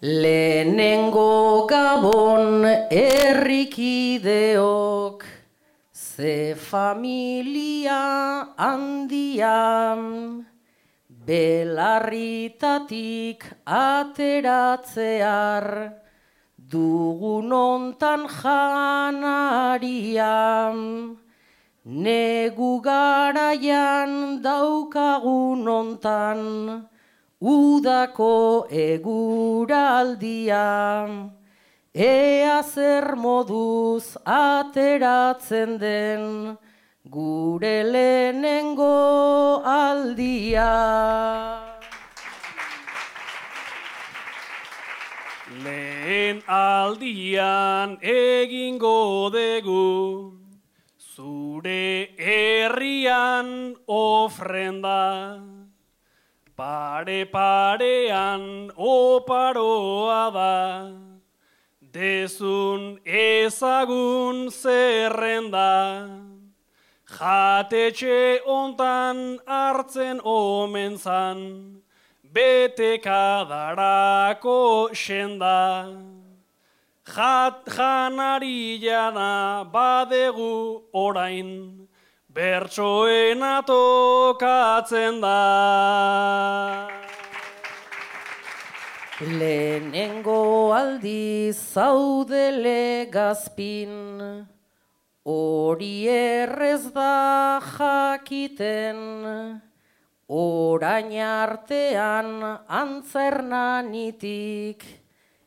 Lehenengo gabon herrikideok, ze familia handian, belarritatik ateratzear, dugun ontan janarian, negu garaian daukagun ontan, udako eguraldia, ea zer moduz ateratzen den gure lehenengo aldia. Lehen aldian egingo dugu, zure herrian ofrenda, pare-parean oparoa da, dezun ezagun zerrenda, jatetxe ontan hartzen omen zan, betekadarako senda. Janari jana badegu orain, bertsoena tokatzen da. Lehenengo aldiz zaudele gazpin, hori errez da jakiten, orain artean antzernanitik,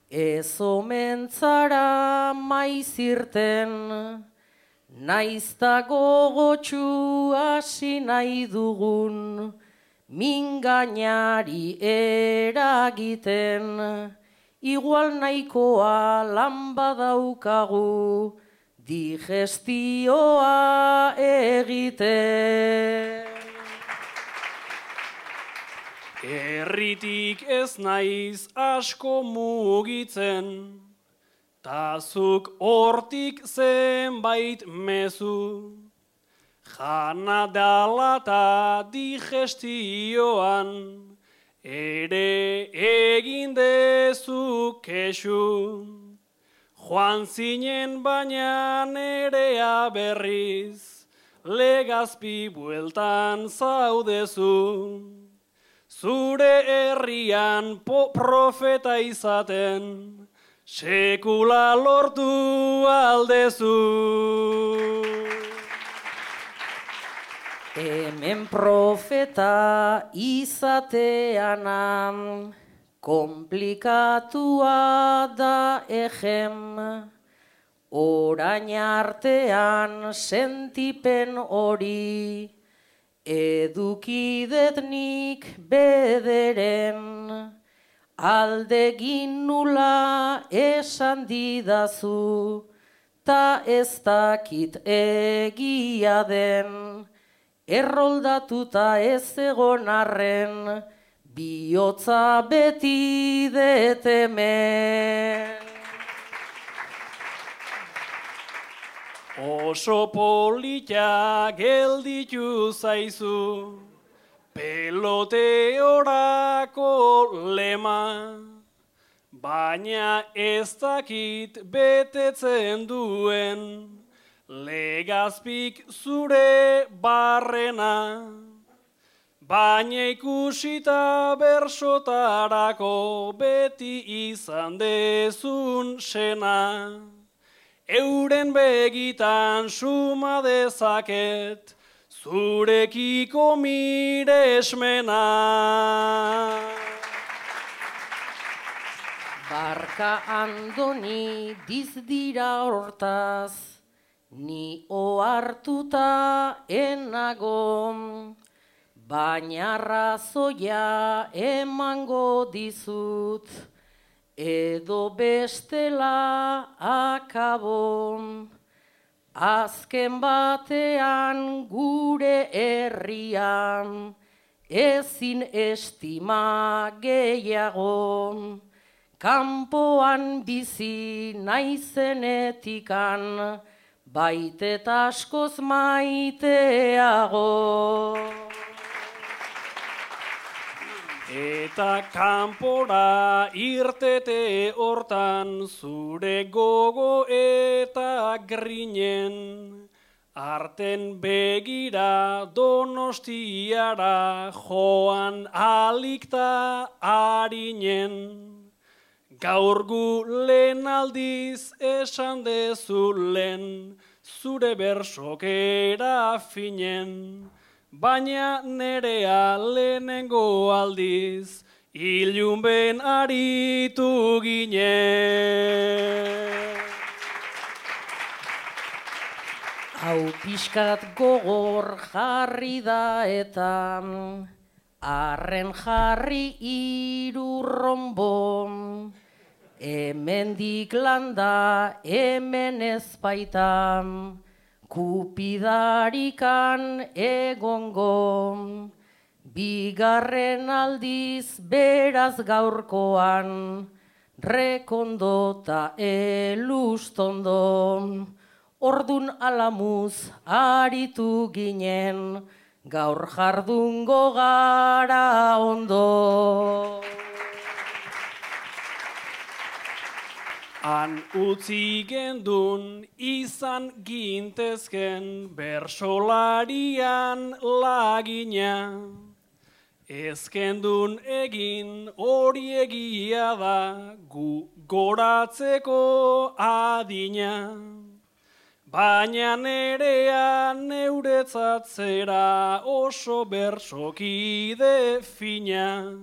ez omentzara maizirten, naizta gogotxu hasi nahi dugun, mingainari eragiten, igual nahikoa lan badaukagu, digestioa egiten. Herritik ez naiz asko mugitzen, tazuk hortik zenbait mezu, jana dala ta digestioan, ere egin dezu kexu, joan zinen baina nerea berriz, Legazpi bueltan zaudezu. Zure herrian profeta izaten, sekula lortu aldezu. Hemen profeta izatean, komplikatua da ejem, orain artean sentipen hori, edukidetnik bederen, aldegin nula esan didazu, ta ez dakit egia den, erroldatuta ez egon arren, bihotza beti detemen. Oso polita gelditu zaizu, peloteorako lema, baina ez dakit betetzen duen, Legazpik zure barrena, baina ikusita bersotarako beti izan dezun sena. Euren begitan suma dezaket, zurekiko miresmena. Barka Andoni dizdira hortaz, ni ohartuta enago, baina razoia emango dizut, edo bestela akabo, azken batean gure herrian, ezin estima gehiago, kanpoan bizi naizenetikan, baitet askoz maiteago. Eta kanpora irtete hortan zure gogo eta grinen, arten begira Donostiara joan alikta harinen. Gaur gu lehen aldiz esan dezulen, zure bersokera finen, baina nerea lehenengo aldiz, ilunben aritu ginen. Hau pixkat gogor jarri da eta arren jarri irurrombo, hemendik landa hemen ezpaita, kupidarikan egongo, bigarren aldiz beraz gaurkoan, rekondo ta elustondo, ordun alamuz aritu ginen, gaur jardungo gara ondo. Han utzi gendun izan gintezken bersolarian lagina. Ezkendun egin hori egia da gu goratzeko adina. Baina nerea neuretzat zera oso bersokide fina.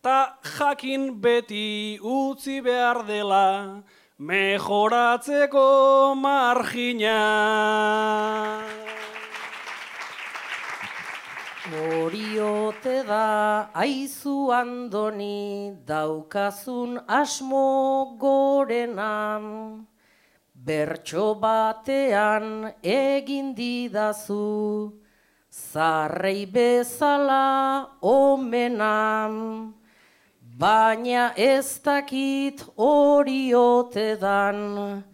Ta jakin beti utzi behar dela mejoratzeko margina. Hori ote da aizu Andoni daukazun asmo gorena, bertso batean egin didazu, zarrei bezala omenam. Baina ez dakit hori ote dan,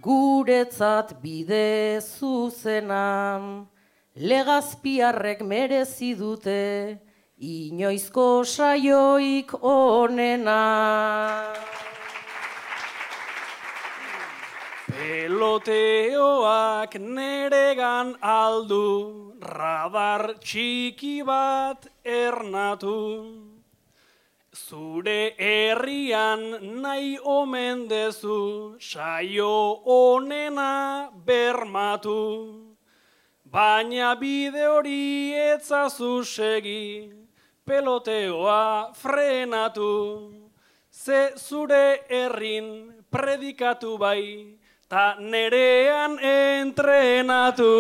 guretzat bide zuzena, Legazpiarrek merezi dute, inoizko saioik onena. Peloteoak neregan aldu, radar txiki bat ernatu. Zure herrian nahi omen dezu, saio onena bermatu. Baina bide hori etzazu segi, peloteoa frenatu. Ze zure herrin predikatu bai, ta nerean entrenatu.